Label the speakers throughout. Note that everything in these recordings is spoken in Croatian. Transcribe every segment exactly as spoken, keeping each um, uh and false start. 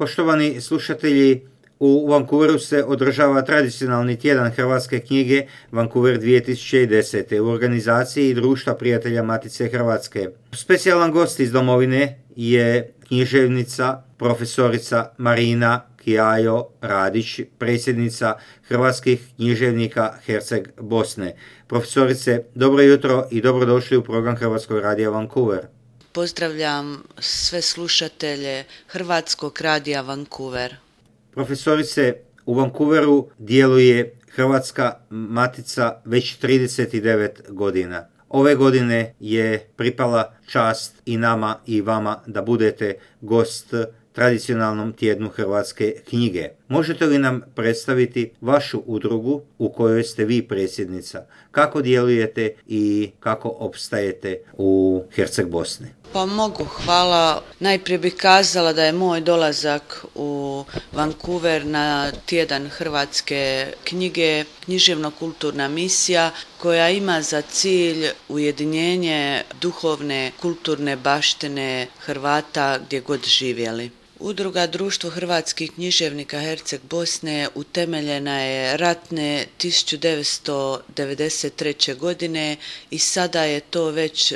Speaker 1: Poštovani slušatelji, u Vancouveru se održava tradicionalni tjedan hrvatske knjige Vancouver dvije tisuće deset. u organizaciji Društva prijatelja Matice Hrvatske. Specijalan gost iz domovine je književnica, profesorica Marina Kijajo Radić, predsjednica Hrvatskih književnika Herceg Bosne. Profesorice, dobro jutro i dobrodošli u program Hrvatskog radija Vancouver.
Speaker 2: Pozdravljam sve slušatelje Hrvatskog radija Vancouver.
Speaker 1: Profesorice, u Vancouveru djeluje Hrvatska matica već trideset devet godina. Ove godine je pripala čast i nama i vama da budete gost tradicionalnom tjednu hrvatske knjige. Možete li nam predstaviti vašu udrugu u kojoj ste vi predsjednica? Kako djelujete i kako opstajete u Herceg Bosni?
Speaker 2: Pa mogu, hvala. Najprije bih kazala da je moj dolazak u Vancouver na tjedan hrvatske knjige književno-kulturna misija koja ima za cilj ujedinjenje duhovne kulturne baštine Hrvata gdje god živjeli. Udruga Društvo hrvatskih književnika Herceg Bosne utemeljena je ratne tisuću devetsto devedeset treće. godine i sada je to već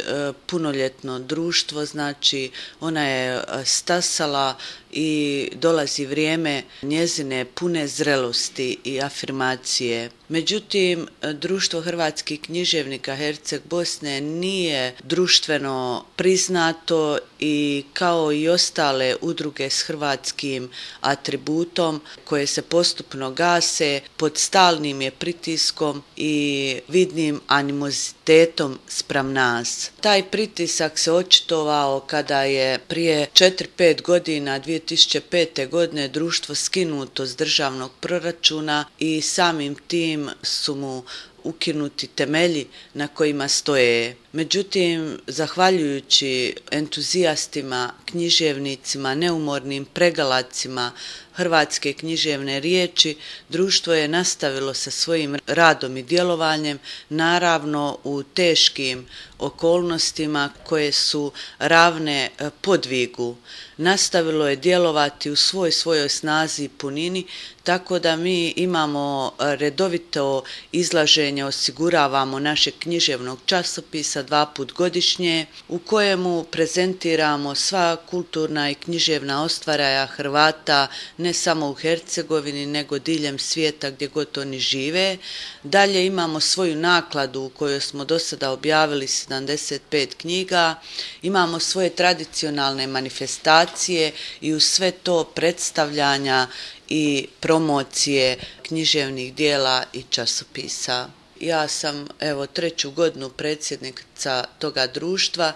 Speaker 2: punoljetno društvo, znači ona je stasala i dolazi vrijeme njezine pune zrelosti i afirmacije. Međutim, Društvo hrvatskih književnika Herceg Bosne nije društveno priznato i kao i ostale udruge s hrvatskim atributom koje se postupno gase, pod stalnim je pritiskom i vidnim animozitetom spram nas. Taj pritisak se očitovao kada je prije četiri pet godina, dvije tisuće pete. godine, društvo skinuto s državnog proračuna i samim tim su mu ukinuti temelji na kojima stoje. Međutim, zahvaljujući entuzijastima, književnicima, neumornim pregalacima hrvatske književne riječi, društvo je nastavilo sa svojim radom i djelovanjem, naravno u teškim okolnostima koje su ravne podvigu. Nastavilo je djelovati u svoj svojoj snazi i punini, tako da mi imamo redovito izlaženje, osiguravamo našeg književnog časopisa dva put godišnje, u kojemu prezentiramo sva kulturna i književna ostvaraja Hrvata, ne samo u Hercegovini, nego diljem svijeta gdje god oni žive. Dalje imamo svoju nakladu u kojoj smo do sada objavili sedamdeset pet knjiga, imamo svoje tradicionalne manifestacije i uz sve to predstavljanja i promocije književnih dijela i časopisa. Ja sam evo treću godinu predsjednica toga društva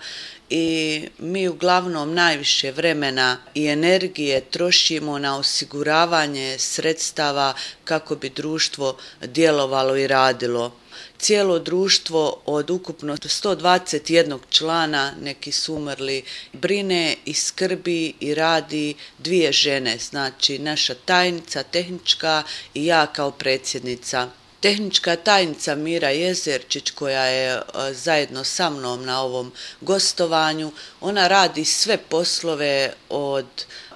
Speaker 2: i mi uglavnom najviše vremena i energije trošimo na osiguravanje sredstava kako bi društvo djelovalo i radilo. Cijelo društvo od ukupno sto dvadeset jednog člana, neki su umrli, brine i skrbi i radi dvije žene, znači naša tajnica tehnička i ja kao predsjednica. Tehnička tajnica Mira Jezerčić, koja je zajedno sa mnom na ovom gostovanju, ona radi sve poslove od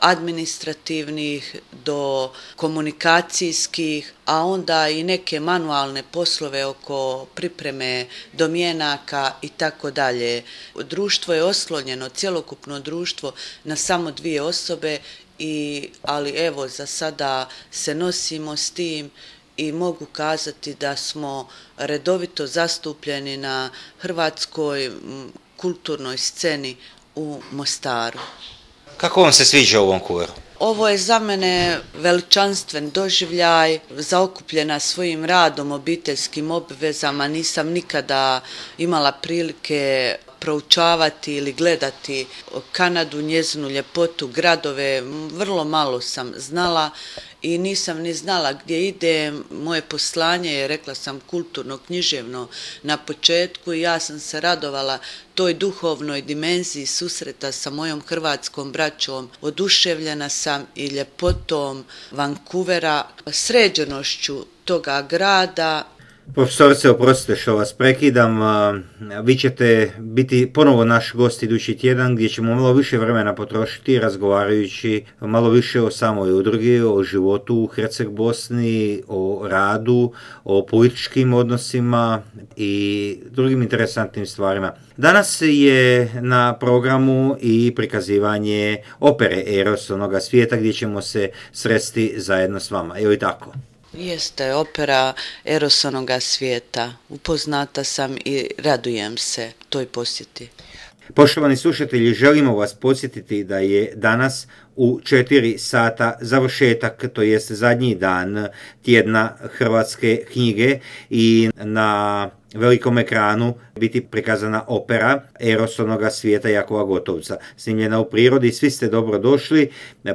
Speaker 2: administrativnih do komunikacijskih, a onda i neke manualne poslove oko pripreme domjenaka i tako dalje. Društvo je oslonjeno, cjelokupno društvo, na samo dvije osobe, i, ali evo za sada se nosimo s tim i mogu kazati da smo redovito zastupljeni na hrvatskoj kulturnoj sceni u Mostaru.
Speaker 1: Kako vam se sviđa u Vancouveru?
Speaker 2: Ovo je za mene veličanstven doživljaj, zaokupljena svojim radom, obiteljskim obvezama, nisam nikada imala prilike proučavati ili gledati Kanadu, njezinu ljepotu, gradove, vrlo malo sam znala i nisam ni znala gdje idem. Moje poslanje je, rekla sam, kulturno, književno na početku i ja sam se radovala toj duhovnoj dimenziji susreta sa mojom hrvatskom braćom. Oduševljena sam i ljepotom Vancouvera, sređenošću toga grada.
Speaker 1: Profesorice, oprostite što vas prekidam, vi ćete biti ponovo naš gost idući tjedan gdje ćemo malo više vremena potrošiti razgovarajući malo više o samoj udrugi, o životu u Herceg Bosni, o radu, o političkim odnosima i drugim interesantnim stvarima. Danas je na programu i prikazivanje opere Eros onoga svijeta gdje ćemo se sresti zajedno s vama. Evo i tako.
Speaker 2: Jeste opera Eros onoga svijeta. Upoznata sam i radujem se toj posjeti.
Speaker 1: Poštovani slušatelji, želimo vas podsjetiti da je danas u četiri sata završetak, to jest zadnji dan tjedna hrvatske knjige i na velikom ekranu biti prikazana opera Eros onoga svijeta Jakova Gotovca, snimljena u prirodi. Svi ste dobro došli.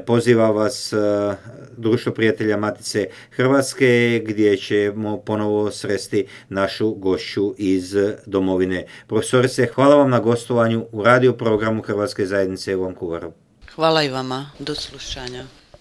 Speaker 1: Poziva vas Društvo prijatelja Matice Hrvatske gdje ćemo ponovo sresti našu gošću iz domovine. Profesorice, hvala vam na gostovanju u radio programu Hrvatske zajednice u Vancouveru.
Speaker 2: Hvala i vama. Do slušanja.